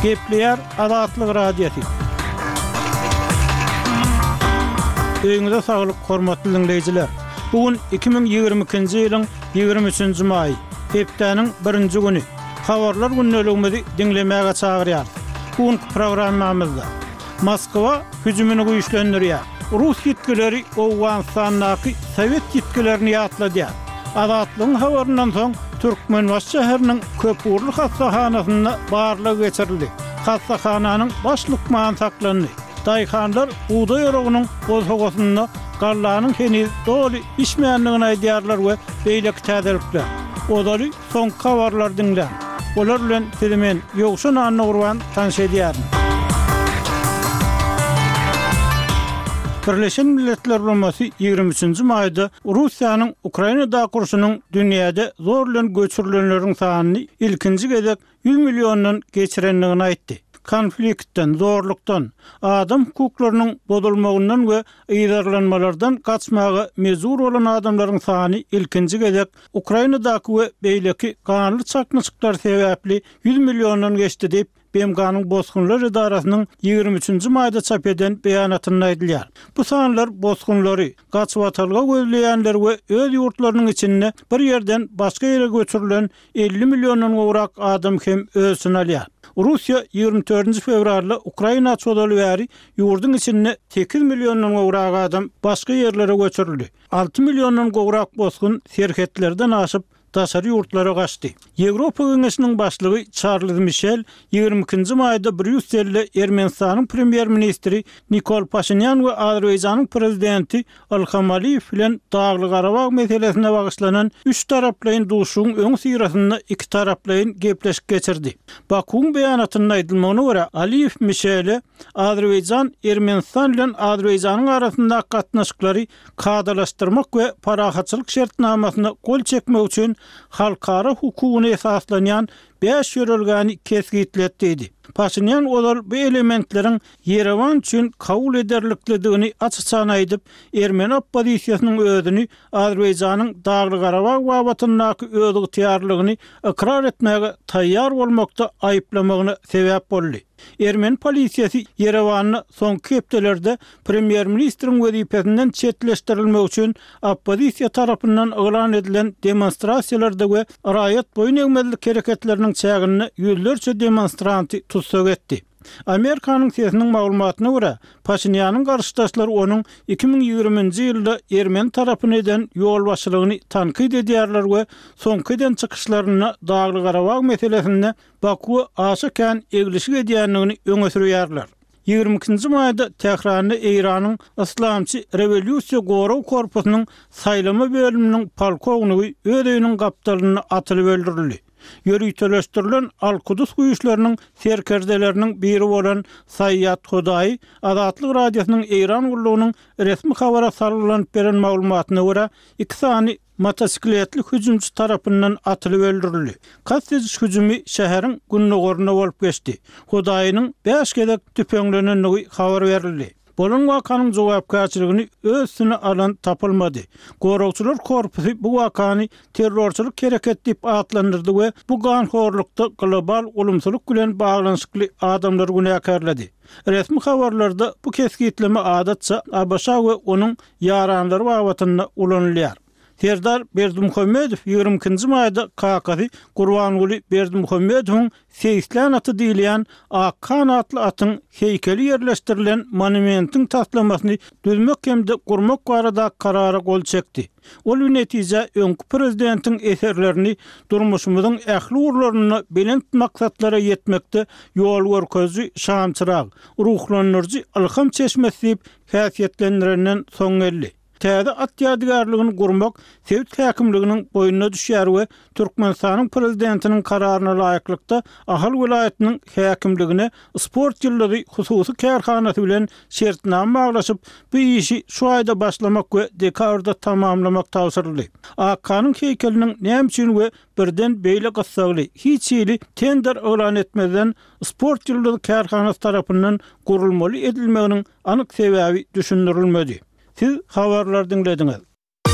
Gepleýär Azatlyk Radiosy. Öýüňize saglyk, hormatly diňleýjiler! Bu gün 2022-nji ýylyň 23-nji maýy, hepdäniň birinji güni. Habarlar gündeligimizi diňlemäge çagyrýarys. Bu günki programmamyzda. Moskwa hüjümini güýçlendirýär. Rus ýitgileri Owganystandaky sowet ýitgilerini ýatladýar. Azatlygyň habaryndan soň Türkmenbaşy şäheriniň köpugurly hassahanasynda barlag geçirildi. Hassahananyň baş lukmany saklandy. Daýhanlar bugdaý oragynyň bosagasynda gallanyň heniz doly bişmändigini aýdýarlar we beýleki täzelikler. Ozaly Soňky habarlary diňläň. Olar bilen sizi men, Ýowşan Annagurban tanyş edýärin. Birleşen Milletler Guramasy 23-nji maýda Russiýanyň Ukrainadaky urşunyň dünýäde zor bilen göçürilenleriň sanyny ilkinji gezek 100 milliondan geçirendigini aýtdy. Konfliktden, zorlukdan, adam hukuklarynyň bozulmagyndan we yzarlanmalardan gaçmaga mejbur bolan adamlaryň sany ilkinji gezek Ukrainadaky we beýleki ganly çaknyşyklar sebäpli 100 milliondan geçdi diýip, BMG-niň Bosgunlar edarasynyň 23-nji maýda çap eden beýanatynda aýdylýar. Bu sanlar bosgunlary, gaçybatalga gözleýänleri we öz ýurtlarynyň içinde bir ýerden başga ýere göçürilen 50 milliondan gowrak adam hem öz içine alýar. Russiýa 24-nji fewralda Ukraina çozaly bäri ýurduň içinde 8 milliondan gowrak adam başga ýerlere göçürildi. 6 milliondan gowrak bosgun serhetlerden aşyp, daşary ýurtlara gaçdy. Ýewropa Geňeşiniň başlygy Çarlz Mişel 22-nji maýda Brýusselde Ermenistanyň premýer-ministri Nikol Paşinýan we Azerbaýjanyň prezidenti Ilham Aliýew bilen Dagly-Garabag meselesine bagyşlanan üçtaraplaýyn duşuşygyň öňüsyrasynda ikitaraplaýyn gepleşik geçirdi. Bakuwyň beýanatynda aýdylmagyna görä, Aliýew Mişele Azerbaýjan Ermenistan bilen Azerbaýjanyň arasyndaky gatnaşyklary kadalaşdyrmak we parahatçylyk şertnamasyna gol çekmek üçin halkara hukugyna esaslanýan bäş ýörelgäni kesgitledi diýdi. Paşinýan ozal bu elementleriň Ýerewan üçin kabul ederliklidigini aç-açan aýdyp, ermeni oppozisiýasynyň özüni Azerbaýjanyň Dagly-Garabag babatyndaky özygtyýarlylygyny ykrar etmäge taýýar bolmakda aýyplamagyna sebäp boldy. Ermeni polisiýasy Ýerewanda soňky hepdelerde premýer-ministriň wezipesinden çetleşdirilmegi üçin oppozisiýa tarapyndan yglan edilen demonstrasiýalarda we raýat boýun egmezlik hereketleriniň çäginde ýüzlerçe demonstranty tussag etdi. Amerikanyň sesiniň maglumatyna görä, Paşinýanyň garşydaşlary onuň 2020-nji ýylda ermeni tarapyna eden ýolbaşçylygyny tankyt edýärler we soňky eden çykyşlarynda Dagly-Garabag meselesinde Bakuwa aşa kän eglişik edýändigini öňe sürýärler. 22-nji maýda Tähranda Eýranyň Yslamçy rewolýusiýa gorag korpusynyň saýlama bölüminiň polkownigi öz öýüniň gapdalynda atylyp öldürildi. Ýöriteleşdirilen Al-Kudus güýçleriniň serkerdeleriniň biri bolan Saýýad Hodaýy Azatlyk Radiosynyň Eýran gullugynyň resmi habara salgylanyp beren maglumatyna görä, iki sany motosikletli hüjümçi tarapyndan atylyp öldürildi. Kast ediş hüjümi şäheriň gündogarynda bolup geçdi. Hudaýynyň bäş gezek tüpeňlenendigi habar berildi. Bolan wakanyň jogapkärçiligini öz üstüne alan tapylmady. Goragçylar korpusy bu wakany terrorçylyk hereket diýip atlandyrdy we bu ganhorlukda global ulumsylyk bilen baglanyşykly adamlary günäkärledi. Resmi habarlarda bu kesgitleme adatça ABŞ we onuň ýaranlary babatynda ulanylýar. Serdar Berdimuhamedow 22-nji maýda kakasy Gurbanguly Berdimuhamedowyň Seýislän aty diýilýän Akhan atly atyň heýkeli ýerleşdirilen monumentiň taslamasyny düzmek hem-de gurmak baradaky karara gol çekdi. Ol bu netijä öňki prezidentiň eserlerini durmuşymyzyň ähli ugurlarynda belent maksatlara ýetmekde ýolgörkeziji şamçyrag, ruhlandyryjy ylham çeşmesi diýip häsiýetlendirenden soň geldi. Täze at ýadygärligini gurmak sebit häkimliginiň boýnuna düşýär we Türkmenistanyň Prezidentiniň Kararyna laýyklykda Ahal welaýatynyň häkimligine Sport ýyldyzy hususy kärhanasy bilen şertnama baglaşyp, bu işi şu aýda başlamak we dekabrda tamamlamak tabşyryldy. Akhanyň heýkeliniň näme üçin we birden beýle gyssagly, hiç hili tender yglan etmezden Sport ýyldyzy kärhanasy tarapyndan gurulmaly edilmeginiň anyk sebäbi düşündirilmedi. Siz habarlary diňlediňiz.